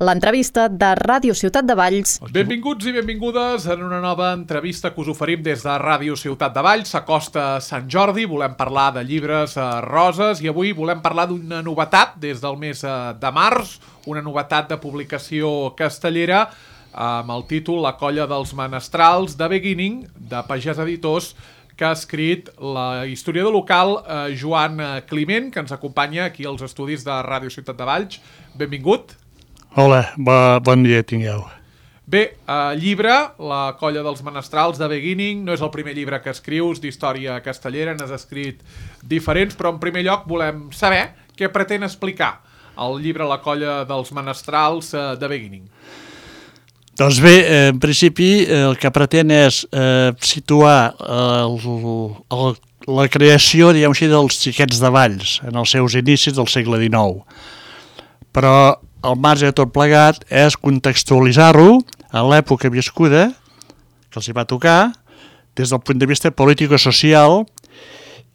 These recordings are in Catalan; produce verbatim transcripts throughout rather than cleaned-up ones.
l'entrevista de Ràdio Ciutat de Valls. Benvinguts i benvingudes en una nova entrevista que us oferim des de Ràdio Ciutat de Valls. S'acosta Sant Jordi, volem parlar de llibres eh, roses i avui volem parlar d'una novetat des del mes eh, de març, una novetat de publicació castellera amb el títol La colla dels menestrals de Beginning, de Pagès Editors, que ha escrit la historiador local eh, Joan Climent, que ens acompanya aquí als estudis de Ràdio Ciutat de Valls. Benvingut. Hola, bo, bon dia tingueu. Bé, eh, llibre, La colla dels menestrals de Beginning, no és el primer llibre que escrius d'història castellera, n'has escrit diferents, però en primer lloc volem saber què pretén explicar el llibre La colla dels menestrals eh, de Beginning. Doncs bé, en principi el que pretén és eh, situar el, el, la creació, diguem així, dels xiquets de Valls en els seus inicis del segle dinou. Però al marge de tot plegat és contextualitzar-ho a l'època viscuda que els hi va tocar des del punt de vista polític-social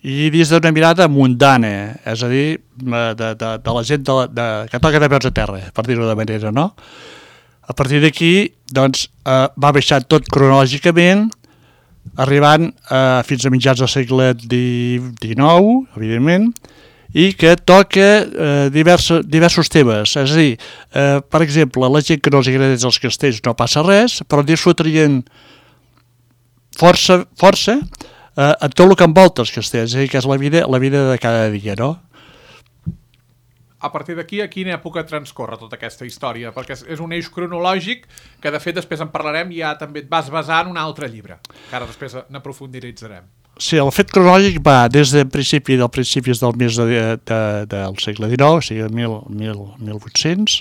i des d'una mirada mundana, és a dir, de, de, de la gent de, de, que toca de peus a terra, per dir-ho de manera, no? A partir d'aquí, doncs, eh, va baixar tot cronològicament, arribant eh, fins a mitjans del segle dinou, evidentment, i que toca eh, diversos, diversos temes. És a dir, eh, per exemple, la gent que no els agradeix els castells no passa res, però disfrutarien força, força eh, en tot el que envolta els castells, és a dir, que és la vida, la vida de cada dia, no? A partir d'aquí, a quina època transcorre tota aquesta història? Perquè és un eix cronològic que, de fet, després en parlarem i ja també et vas basar en un altre llibre, que ara després n'aprofunditzarem. Sí, el fet cronològic va des del principi dels principis del mes de, de, del segle dinou, o sigui, mil vuit-cents,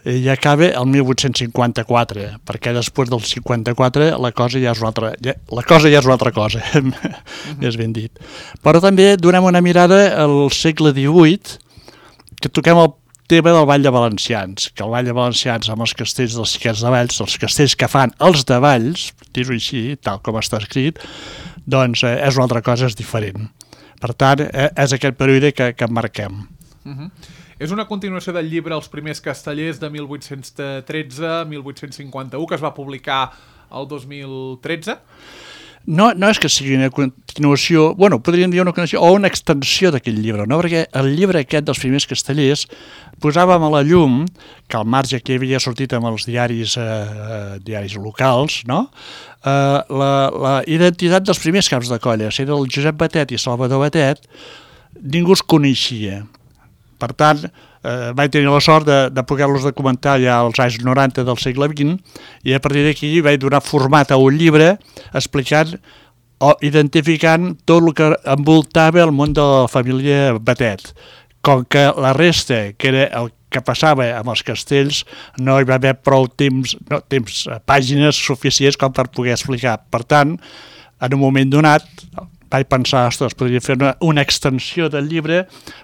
i acaba el mil vuit-cents cinquanta-quatre, perquè després del cinquanta-quatre la cosa ja és una altra, ja, la cosa ja és una altra cosa, mm-hmm. més ben dit. Però també donem una mirada al segle divuit, que toquem el tema del Ball de Valencians, que el Ball de Valencians amb els castells dels xiquets de Valls, els castells que fan els de Valls, dir-ho així, tal com està escrit, doncs eh, és una altra cosa, és diferent. Per tant, eh, és aquest període que, que marquem. Uh-huh. És una continuació del llibre Els primers castellers de mil vuit-cents tretze a mil vuit-cents cinquanta-u, que es va publicar el dos mil tretze? No, no és que sigui una continuació, bueno, podríem dir una continuació o una extensió d'aquell llibre, no? Perquè el llibre aquest dels primers castellers posàvem a la llum, que al marge que havia sortit amb els diaris, eh, diaris locals, no? Eh, la, la identitat dels primers caps de colla, si era el Josep Batet i Salvador Batet, ningú es coneixia. Per tant, eh, vaig tenir la sort de, de poder-los documentar ja als anys noranta del segle vint i a partir d'aquí vaig donar format a un llibre explicant o identificant tot el que envoltava el món de la família Batet. Com que la resta, que era el que passava amb els castells, no hi va haver prou temps, no, temps pàgines suficients com per poder explicar. Per tant, en un moment donat, vaig pensar, ostres, podria fer una, una extensió del llibre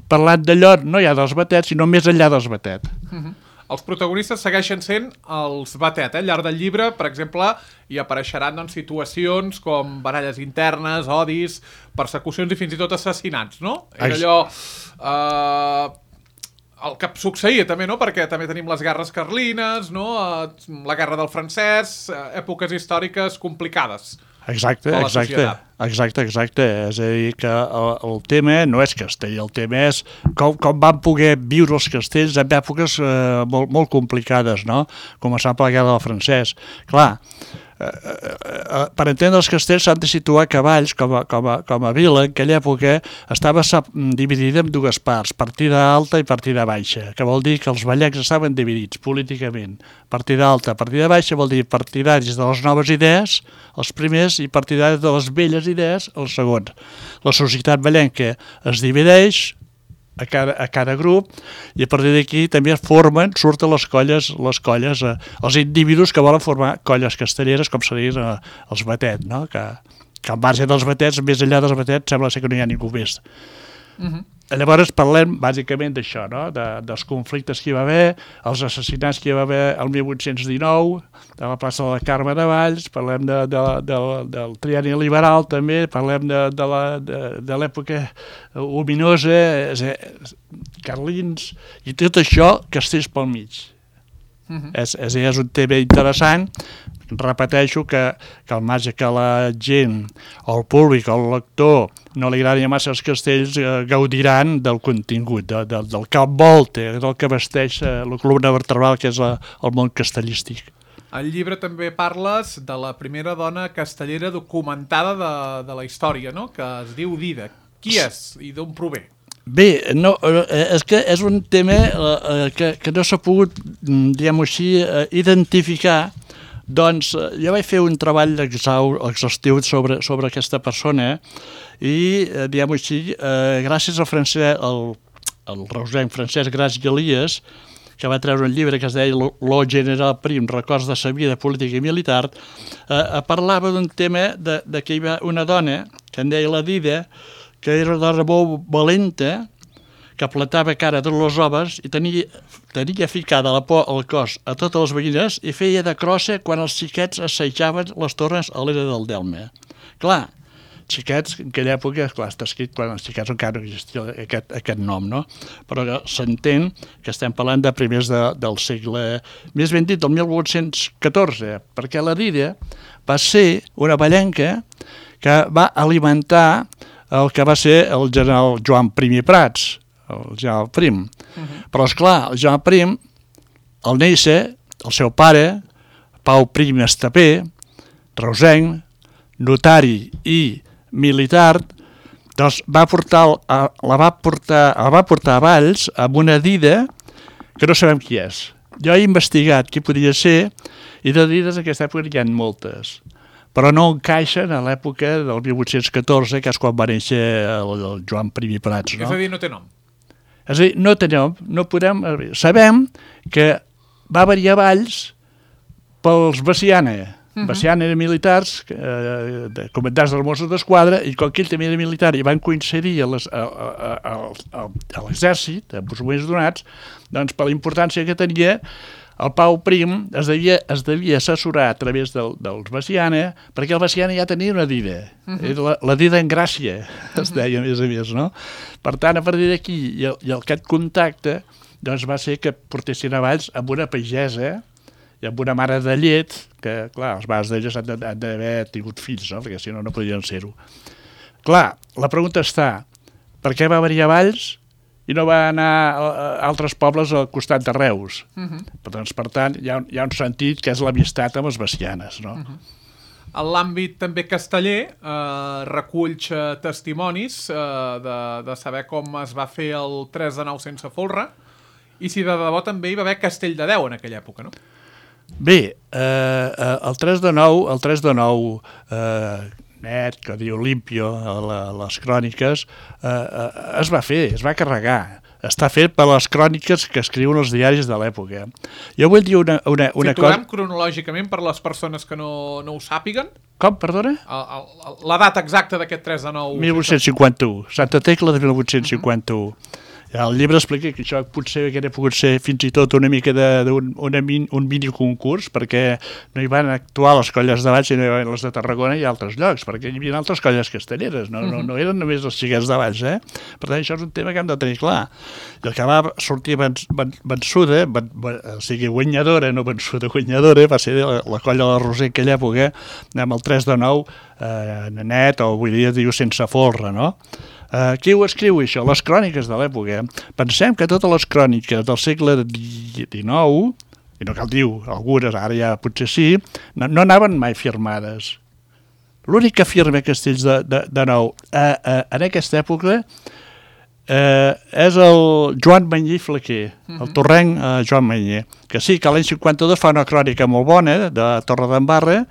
parlant d'allò, no ja dels Batet, sinó més enllà dels Batet. Uh-huh. Els protagonistes segueixen sent els Batet, eh? Al llarg del llibre, per exemple, hi apareixeran doncs, situacions com baralles internes, odis, persecucions i fins i tot assassinats, no? Era allò... Eh, el que succeïa també, no? Perquè també tenim les guerres carlines, no? Eh, la guerra del francès, eh, èpoques històriques complicades. Exacte, exacte, exacte, exacte. És a dir, que el, el tema no és castell, el tema és com, com van poder viure els castells en èpoques eh, molt, molt complicades, no? Començant per la guerra del francès. Clar, eh, eh, per entendre els castells s'han de situar que Valls, com a, com a, com a vila, en aquella època estava dividida en dues parts, partida alta i partida baixa, que vol dir que els vallencs estaven dividits políticament. Partida alta, partida baixa vol dir partidaris de les noves idees, els primers, i partidaris de les velles idees, els segons. La societat vallenca es divideix a cada, a cada grup i a partir d'aquí també es formen, surten les colles, les colles, eh, els individus que volen formar colles castelleres, com serien eh, els Batet, no? Que, que al marge dels Batets, més enllà dels Batets, sembla ser que no hi ha ningú més. Uh-huh. Llavors parlem bàsicament d'això, no? De, dels conflictes que hi va haver, els assassinats que hi va haver el mil vuit-cents dinou, de la plaça de la Carme de Valls, parlem de, de, de, del trienni liberal també, parlem de, de, la, de, de l'època ominosa, carlins, i tot això castells pel mig. Uh-huh. és, és, és un tema interessant. Repeteixo que, que al marge que la gent, o el públic, o el lector, no li agradi massa els castells, eh, gaudiran del contingut, de, de, del que envolta, del que vesteix eh, la columna vertebral, que és la, el món castellístic. Al llibre també parles de la primera dona castellera documentada de, de la història, no? Que es diu Dida. Qui és i d'on prové? Bé, no, és que és un tema eh, que, que no s'ha pogut, diguem-ho així, eh, identificar. Doncs jo vaig fer un treball exhaustiu sobre, sobre aquesta persona i, eh, diguem-ho així, eh, gràcies al, francès, al, al reusenc Francesc Gras i Elies, que va treure un llibre que es deia Lo general Prim, records de sa vida política i militar, eh, parlava d'un tema de, de que hi va una dona, que en deia la Dida, que era una dona molt valenta, que platava cara de les oves i tenia, tenia ficada la por al cos a totes les veïnes i feia de crossa quan els xiquets assajaven les torres a l'era del Delme. Clar, xiquets, en aquella època, clar, està escrit quan els xiquets encara no existia aquest, aquest nom, no? Però s'entén que estem parlant de primers de, del segle, més ben dit, del mil vuit-cents catorze, perquè la Dida va ser una ballenca que va alimentar el que va ser el general Joan Prim i Prats, el general Prim. Uh-huh. Però, esclar, el general Prim, al néixer, el seu pare, Pau Prim Estapé, reusenc, notari i militar, doncs va portar, la va portar, la va portar a Valls amb una Dida que no sabem qui és. Jo he investigat qui podia ser i de Dides en aquesta època hi ha moltes, però no encaixen a l'època del mil vuit-cents catorze, que és quan va néixer el, el Joan Prim i Prats. No? És a dir, no té nom. És a dir, no té nom, no podem... Sabem que va venir a Valls pels Veciana. Uh-huh. Veciana eren militars, eh, de comandants dels Mossos d'Esquadra, i com que ell també era militar i van coincidir a, les, a, a, a, a, a l'exèrcit, en uns moments donats, doncs per la importància que tenia, el Pau Prim es devia, es devia assessorar a través del, dels Veciana, perquè el Veciana ja tenia una Dida. Uh-huh. la, la Dida en Gràcia, uh-huh. es deia, a més a més, no? Per tant, a partir d'aquí, i, i aquest contacte, doncs va ser que portessin a Valls amb una pagesa i amb una mare de llet, que, clar, els mares d'elles han d'haver tingut fills, no? Perquè si no, no podien ser-ho. Clar, la pregunta està, per què va venir a Valls i no va anar a altres pobles al costat de Reus? Uh-huh. Doncs, per tant, hi ha, hi ha un sentit que és l'amistat amb les Vecianes, no? Uh-huh. En l'àmbit també casteller, eh, reculls eh, testimonis eh, de, de saber com es va fer el tres de nou sense folre i si de debò també hi va haver Castell de Déu en aquella època, no? Bé, eh, el tres de nou, el tres de nou eh, net, que diu Limpio a, la, a les cròniques, eh, eh, es va fer, es va carregar. Està fet per les cròniques que escriuen els diaris de l'època. Jo vull dir una, una, una cosa... Situem cronològicament per les persones que no, no ho sàpiguen? Com, perdona? El, el, la data exacta d'aquest tres de nou... mil vuit-cents cinquanta-u, Santa Tecla de mil vuit-cents cinquanta-u. Uh-huh. El llibre explica que això potser hauria pogut ser fins i tot una mica d'un un mini concurs, perquè no hi van actuar les colles de Valls, sinó les de Tarragona i altres llocs, perquè hi havia altres colles castelleres, no, no, no eren només els xiquets de Valls, eh? Per tant, això és un tema que hem de tenir clar. I el que va sortir vençuda, o sigui, guanyadora, no vençuda, guanyadora, va ser la, la colla de la Roser en aquella època, amb el tres de nou, eh, net, o avui dia diu sense folre, no? Uh, qui ho escriu, això? Les cròniques de l'època. Pensem que totes les cròniques del segle dinou, i no cal dir algunes, ara ja potser sí, no, no anaven mai firmades. L'únic que firma Castells de, de, de nou uh, uh, en aquesta època uh, és el Joan Mañé Flaquer, uh-huh. el torrenc uh, Joan Mañé, que sí, que l'any cinquanta-dos fa una crònica molt bona de Torredembarra,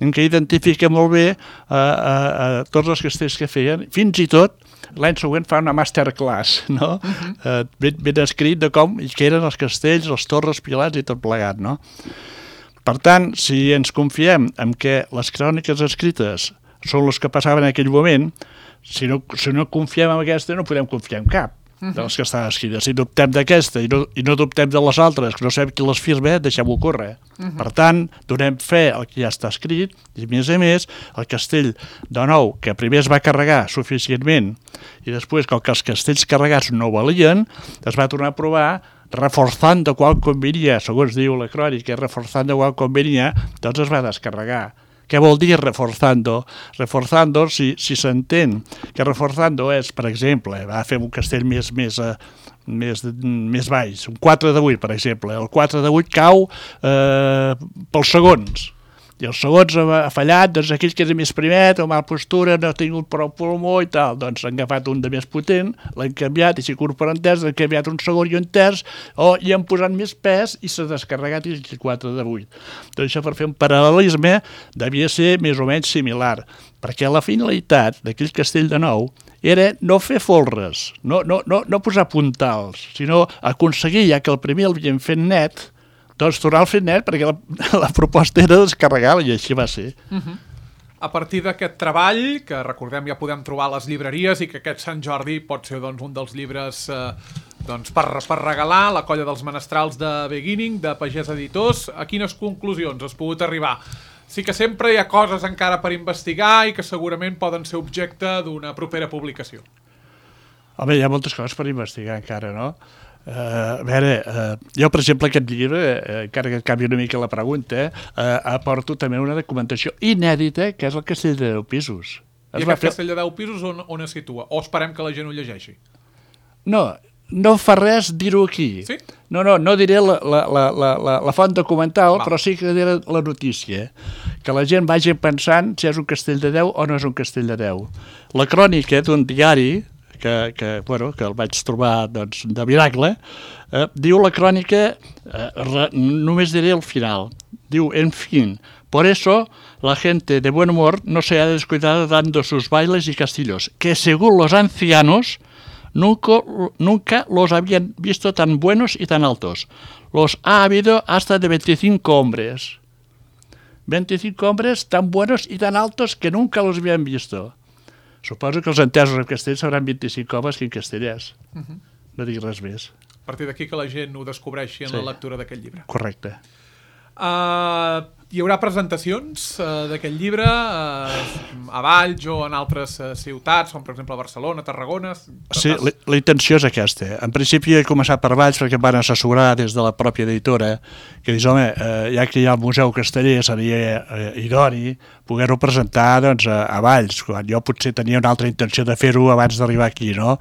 en què identifica molt bé uh, uh, uh, tots els castells que feien, fins i tot l'any següent fa una masterclass, no? Uh-huh. uh, ben, ben escrit de com i què eren els castells, els torres, pilats i tot plegat, no? Per tant, si ens confiem en que les cròniques escrites són les que passaven en aquell moment, si no, si no confiem en aquesta, no podem confiar en cap de les que estan escrites. Si dubtem d'aquesta i, no, i no dubtem de les altres, que no sabem qui les firma, deixem-ho córrer. Uh-huh. Per tant, donem fe al que ja està escrit i, a més a més, el castell de nou, que primer es va carregar suficientment i després, com que els castells carregats no valien, es va tornar a provar reforçando quan convenia, segons diu la crònica, reforçando quan convenia, doncs es va descarregar. Què vol dir reforzando? Reforzando, si, si s'entén que reforzando és, per exemple, va fer un castell més, més, uh, més, més baix, un quatre de vuit, per exemple. El quatre de vuit cau eh, pels segons. I els segons ha fallat, doncs aquell que era més primet, o mal postura, no ha tingut prou pulmó i tal, doncs han agafat un de més potent, l'han canviat, i si corporen terç, han canviat un segon i un terç, o hi han posat més pes i s'ha descarregat i el quatre de vuit. Doncs això, per fer un paral·lelisme, devia ser més o menys similar, perquè la finalitat d'aquell castell de nou era no fer folres, no, no, no, no posar puntals, sinó aconseguir, ja que el primer l'havien fet net, doncs tornar al fet net, perquè la, la proposta era descarregar-la, i així va ser. Uh-huh. A partir d'aquest treball, que recordem ja podem trobar a les llibreries, i que aquest Sant Jordi pot ser doncs, un dels llibres eh, doncs, per, per regalar, La colla dels menestrals de Beginning, de Pagès Editors, a quines conclusions has pogut arribar? Sí que sempre hi ha coses encara per investigar i que segurament poden ser objecte d'una propera publicació. Home, hi ha moltes coses per investigar encara, no? Uh, a veure, uh, jo per exemple aquest llibre, uh, encara que canvi una mica la pregunta, uh, aporto també una documentació inèdita que és el Castell de deu pisos. I es aquest fer... Castell de deu pisos on, on es situa? O esperem que la gent ho llegeixi? No, no fa res dir-ho aquí. Sí? No, no, no diré la, la, la, la, la font documental, Va. però sí que diré la notícia, que la gent vagi pensant si és un castell de deu o no és un castell de deu. La crònica d'un diari Que, que, bueno, que el vaig trobar doncs, de miracle, eh, diu la crònica, eh, re, només diré el final, diu, en fin, por eso la gente de buen humor no se ha descuidado dando sus bailes y castillos, que según los ancianos nunca, nunca los habían visto tan buenos y tan altos. Los ha habido hasta de veinticinco hombres. veinticinco hombres tan buenos y tan altos que nunca los habían visto. Suposo que els entesos en castell seran vint-i-cinc homes que en castellers. Uh-huh. No dic res més. A partir d'aquí que la gent ho descobreixi en sí. la lectura d'aquest llibre. Correcte. Uh, hi haurà presentacions uh, d'aquest llibre uh, a Valls o en altres uh, ciutats, com per exemple a Barcelona, Tarragona? Sí, la, la intenció és aquesta. En principi he començat per Valls perquè em van assessorar des de la pròpia editora que dius, home, eh, ja que hi ha el Museu Casteller seria eh, idoni poder-ho presentar doncs, a, a Valls, quan jo potser tenia una altra intenció de fer-ho abans d'arribar aquí, no?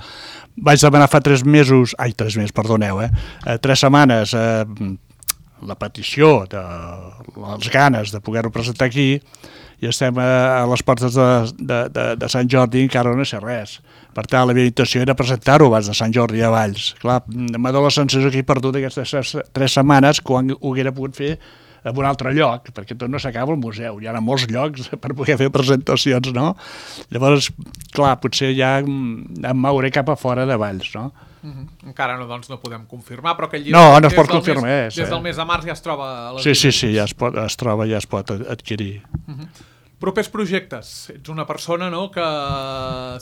Vaig demanar fa tres mesos, ai, tres mesos, perdoneu, eh, eh tres setmanes, eh, la petició, de, les ganes de poder-ho presentar aquí, i estem a, a les portes de, de, de, de Sant Jordi i encara no sé res. Per tant, la meva intenció era presentar-ho abans de Sant Jordi a Valls. Clar, m'ha donat la sensació que he perdut aquestes tres setmanes quan ho haguera pogut fer en un altre lloc, perquè tot no s'acaba al museu, hi ha molts llocs per poder fer presentacions, no? Llavors, clar, potser ja em mouré cap a fora de Valls, no? Uh-huh. Encara no, doncs, no podem confirmar, però aquell llibre no, no es pot confirmar, mes, des del mes de març ja es troba a les sí, sí, sí, ja es, pot, es troba, ja es pot adquirir. Uh-huh. Propers projectes. Ets una persona, no?, que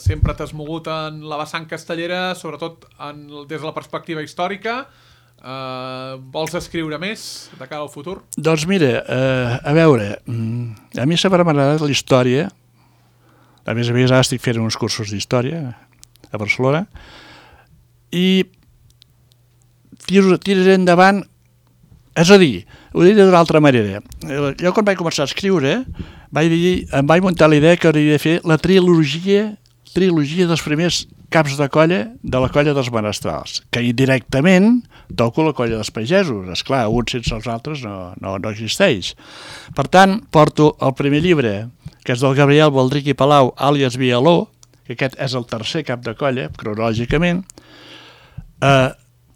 sempre t'has mogut en la vessant castellera, sobretot en, des de la perspectiva històrica. Uh, vols escriure més de cara al futur? Doncs mira, uh, a veure, a mi sempre m'ha agradat la història. A més a més, ara estic fent uns cursos d'història a Barcelona, i tiraré endavant, és a dir, ho diré d'una altra manera. Jo quan vaig començar a escriure vaig dir, em vaig muntar la idea que hauria de fer la trilogia, trilogia dels primers caps de colla de la colla dels menestrals, que indirectament toco la colla dels pagesos. Esclar, uns sense els altres no, no, no existeix. Per tant, porto el primer llibre, que és del Gabriel Baldric i Palau, àlies Vialó, que aquest és el tercer cap de colla, cronològicament. Uh,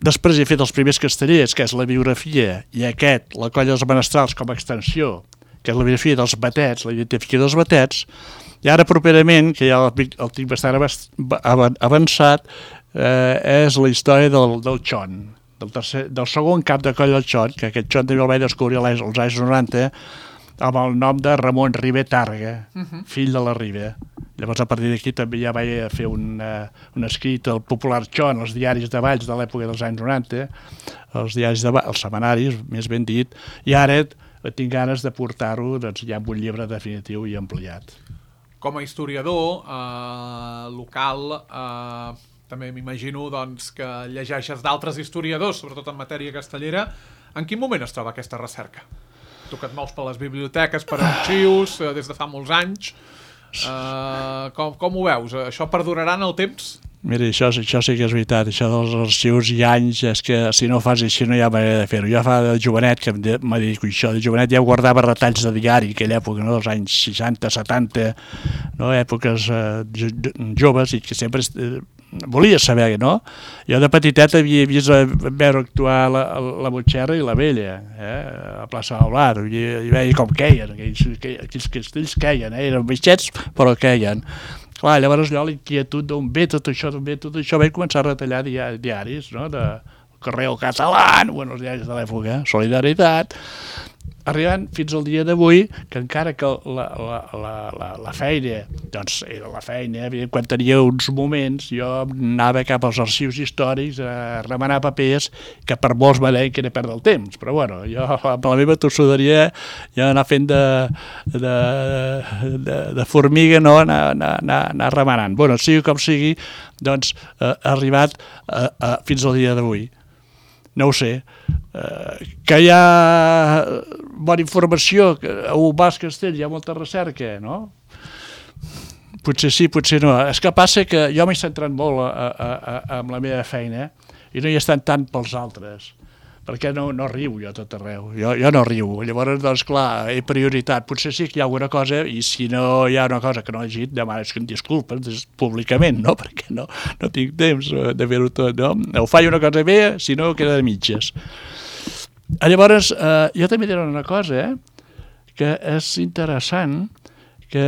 després he fet els primers castellers, que és la biografia, i aquest, la colla dels menestrals com a extensió, que és la biografia dels batets, la identificació dels batets, i ara properament, que ja el, el tinc bastant avançat, eh, és la història del, del Xon, del, tercer, del segon cap de colla del Xon, que aquest Xon també el vaig descobrir als anys noranta, amb el nom de Ramon Ribé Targa, uh-huh. fill de la Ribé. Llavors, a partir d'aquí també ja vaig fer un, uh, un escrit al Popular Xon, als diaris de Valls de l'època dels anys noranta, els diaris de Valls, els setmanaris, més ben dit, i ara tinc ganes de portar-ho doncs, ja amb un llibre definitiu i ampliat. Com a historiador eh, local, eh, també m'imagino doncs, que llegeixes d'altres historiadors, sobretot en matèria castellera. En quin moment es troba aquesta recerca? Tu que et mous per les biblioteques, per arxius, des de fa molts anys, uh, com, com ho veus? Això perdurarà en el temps? Mira, això, això sí que és veritat, això dels arxius i anys, és que si no ho fas així no hi ha manera de fer-ho. Jo fa de jovenet, que em dedico a això, de jovenet ja guardava retalls de diari, aquella època, no?, dels anys seixanta, setanta, no?, èpoques eh, joves, i que sempre eh, volia saber, no? Jo de petitet havia vist veure actuar la, la Butxerra i la Vella, eh, a plaça del Blat, i, i veia com queien, aquells, aquells castells queien, eh, eren baixets però queien. Clar, llavors allò, l'inquietud d'on ve tot això, d'on ve tot això, vaig començar a retallar diaris, no?, de Correo Català, bueno, els diaris de l'època, Solidaritat, arribant fins al dia d'avui, que encara que la, la, la, la, la feina, doncs era la feina, quan tenia uns moments, jo anava cap als arxius històrics a remenar papers, que per molts m'adeien que era perdre el temps, però bueno, jo amb la meva tossuderia ja anar fent de, de, de, de formiga, no?, anar, anar, anar, anar remenant. Bueno, sigui com sigui, doncs eh, ha arribat eh, eh, fins al dia d'avui. No ho sé, uh, que hi ha bona informació, que a Ubàs Castell hi ha molta recerca, no? Potser sí, potser no. És que passa que jo m'he centrat molt a, a, a, amb la meva feina i no hi estan tant pels altres, perquè no, no riu jo tot arreu, jo, jo no riu. Llavors, doncs, clar, he prioritat. Potser sí que hi ha alguna cosa, i si no hi ha una cosa que no he llegit, demanes que em disculpes públicament, no?, perquè no, no tinc temps de fer-ho tot, no? O faig una cosa bé, si no, queda de mitges. Llavors, eh, jo també diré una cosa, eh, que és interessant, que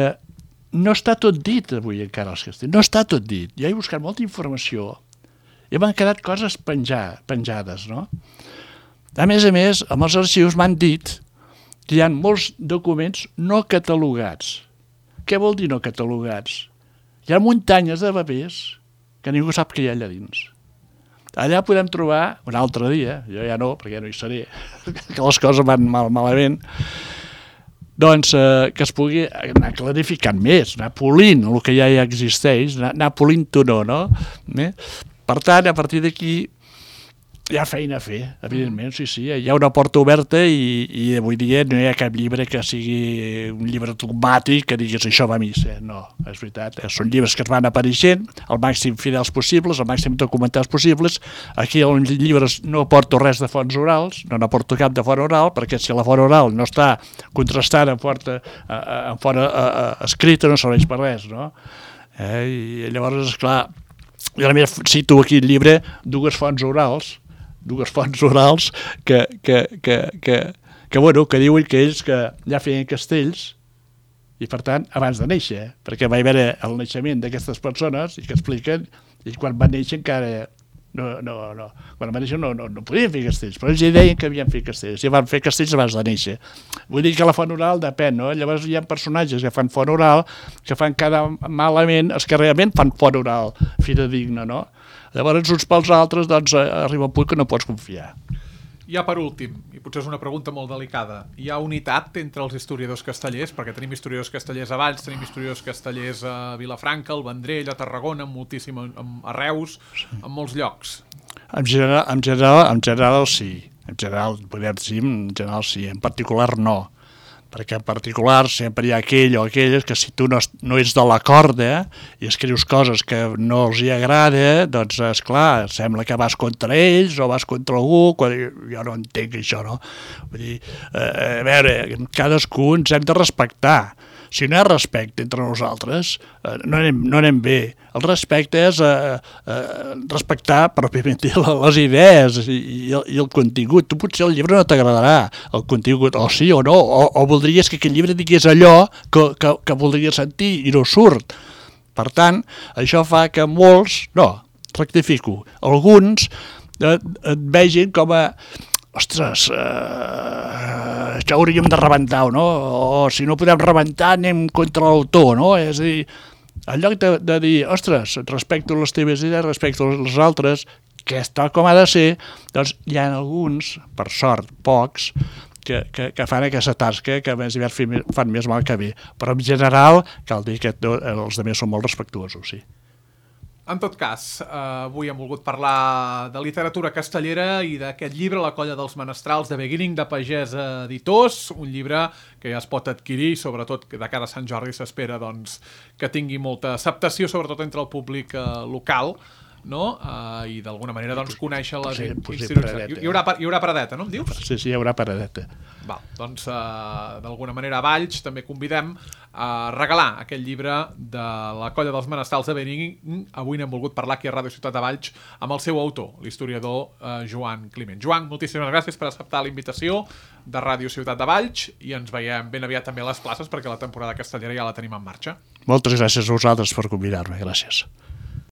no està tot dit avui encara als castells, no està tot dit. Jo he buscat molta informació i m'han quedat coses penjar, penjades, no? A més a més, amb els arxius m'han dit que hi ha molts documents no catalogats. Què vol dir no catalogats? Hi ha muntanyes de papers que ningú sap què hi ha allà dins. Allà podem trobar, un altre dia, jo ja no, perquè ja no hi seré, que les coses van mal, malament, doncs eh, que es pugui anar clarificant més, anar polint el que ja hi existeix, anar, anar polint-ho no, no? Eh? Per tant, a partir d'aquí, hi ha feina a fer, evidentment, sí, sí. Hi ha una porta oberta i, i avui dia no hi ha cap llibre que sigui un llibre dogmàtic que diguis això va a missa. No, és veritat. Són llibres que es van apareixent, el màxim fidels possibles, el màxim documentats possibles. Aquí als llibres no aporto res de fonts orals, no n'aporto cap de font oral, perquè si la font oral no està contrastada en font, en font escrita no serveix per res, no? Eh? I llavors, esclar, jo a més cito aquí el llibre dues fonts orals, dues fonts orals que, que, que, que, que, bueno, que diuen que ells que ja feien castells i per tant abans de néixer, perquè va haver el naixement d'aquestes persones i que expliquen, i quan van néixer encara no, no, no, quan van néixer no, no, no podien fer castells, però ells ja deien que havien fet castells i van fer castells abans de néixer. Vull dir que la font oral depèn, no? Llavors hi ha personatges que fan font oral que fan cada malament, els que realment fan font oral fidedigna, no? Llavors, uns pels altres, doncs, arriba un punt que no pots confiar. Ja per últim, i potser és una pregunta molt delicada, hi ha unitat entre els historiadors castellers? Perquè tenim historiadors castellers a Valls, tenim historiadors castellers a Vilafranca, al Vendrell, a Tarragona, moltíssim, a Reus, en molts llocs. En general, en general, en general sí. En general, podem dir, en general sí. En particular no. Perquè en particular sempre hi ha aquell o aquelles que si tu no, no ets de la corda i escrius coses que no els hi agrada, doncs esclar, sembla que vas contra ells o vas contra algú, quan jo no entenc això, no? Vull dir, eh, a veure, cadascú ens hem de respectar. Si no hi ha respecte entre nosaltres, eh, no, anem, no anem bé. El respecte és eh, eh, respectar pròpiament les idees i, i, el, i el contingut. Tu potser el llibre no t'agradarà, el contingut, o sí o no, o, o voldries que aquell llibre digués allò que, que, que voldries sentir i no surt. Per tant, això fa que molts, no, rectifico, alguns et, et vegin com a ostres, eh, això hauríem de rebentar, no? O si no podem rebentar anem contra l'autor, no? És a dir, en lloc de, de dir, ostres, respecto les teves idees, respecto les altres, que és tal com ha de ser, doncs hi ha alguns, per sort, pocs, que, que, que fan aquesta tasca, que a més fan més mal que bé. Però en general cal dir que els altres són molt respectuosos, sí. En tot cas, eh, avui hem volgut parlar de literatura castellera i d'aquest llibre, La colla dels menestrals, de Beginning de Pagès Editors, un llibre que ja es pot adquirir, sobretot que de cara a Sant Jordi s'espera doncs, que tingui molta acceptació, sobretot entre el públic eh, local, no? Uh, i d'alguna manera doncs, conèixer les sí, institucions. Hi, hi, haurà, hi haurà paradeta, no em dius? Sí, sí, hi haurà paradeta. Val, doncs uh, d'alguna manera a Valls també convidem a regalar aquest llibre de La colla dels menestrals de Benín. Avui n'hem volgut parlar aquí a Ràdio Ciutat de Valls amb el seu autor, l'historiador uh, Joan Climent. Joan, moltíssimes gràcies per acceptar la invitació de Ràdio Ciutat de Valls i ens veiem ben aviat també a les places perquè la temporada castellera ja la tenim en marxa. Moltes gràcies a vosaltres per convidar-me, gràcies.